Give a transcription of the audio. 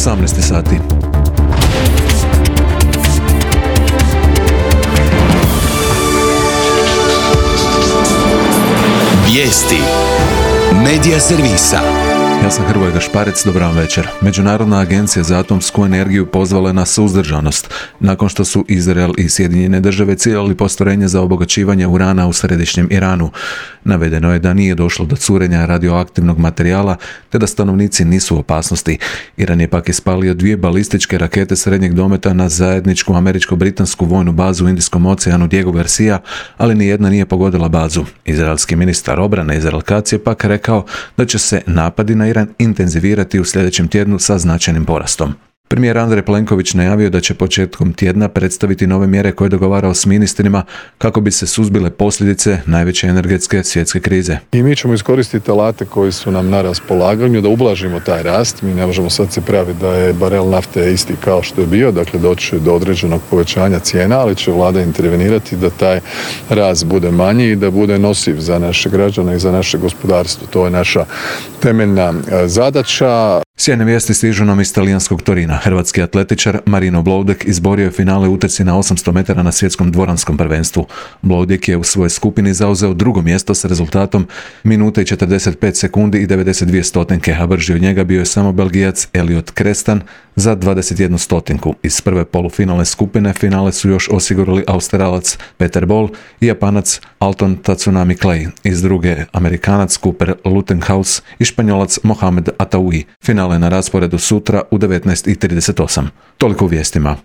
18 sati. Vijesti Medija servisa. Ja sam Hrvoje Gašparec, dobar vam večer. Međunarodna agencija za atomsku energiju pozvala je na suzdržanost nakon što su Izrael i Sjedinjene države ciljali postrojenje za obogaćivanje urana u središnjem Iranu. Navedeno je da nije došlo do curenja radioaktivnog materijala te da stanovnici nisu u opasnosti. Iran je pak ispalio 2 balističke rakete srednjeg dometa na zajedničku američko-britansku vojnu bazu u Indijskom oceanu Diego Garcia, ali nijedna nije pogodila bazu. Izraelski ministar obrane Izrael Katz je pak rekao da će se napadi na Iran intenzivirati u sljedećem tjednu sa značajnim porastom. Premijer Andrej Plenković najavio da će početkom tjedna predstaviti nove mjere koje je dogovarao s ministrima kako bi se suzbile posljedice najveće energetske svjetske krize. I mi ćemo iskoristiti alate koji su nam na raspolaganju da ublažimo taj rast. Mi ne možemo sad se praviti da je barel nafte isti kao što je bio, dakle doći do određenog povećanja cijena, ali će vlada intervenirati da taj rast bude manji i da bude nosiv za naše građane i za naše gospodarstvo. To je naša temeljna zadaća. Sjajne vijesti stižu nam iz talijanskog Torina. Hrvatski atletičar Marino Bloudek izborio je finale u utrci na 800 metara na svjetskom dvoranskom prvenstvu. Bloudek je u svojoj skupini zauzeo drugo mjesto s rezultatom minute i 45 sekundi i 92 stotinke, a brži od njega bio je samo Belgijac Elliot Crestan za 21 stotinku. Iz prve polufinalne skupine finale su još osigurali Australac Peter Bol i Japanac Alton Tatsunami Clay. Iz druge Amerikanac Cooper Lutenhaus i Španjolac Mohamed Ataui. Finale na rasporedu sutra u 19:38. Toliko u vijestima.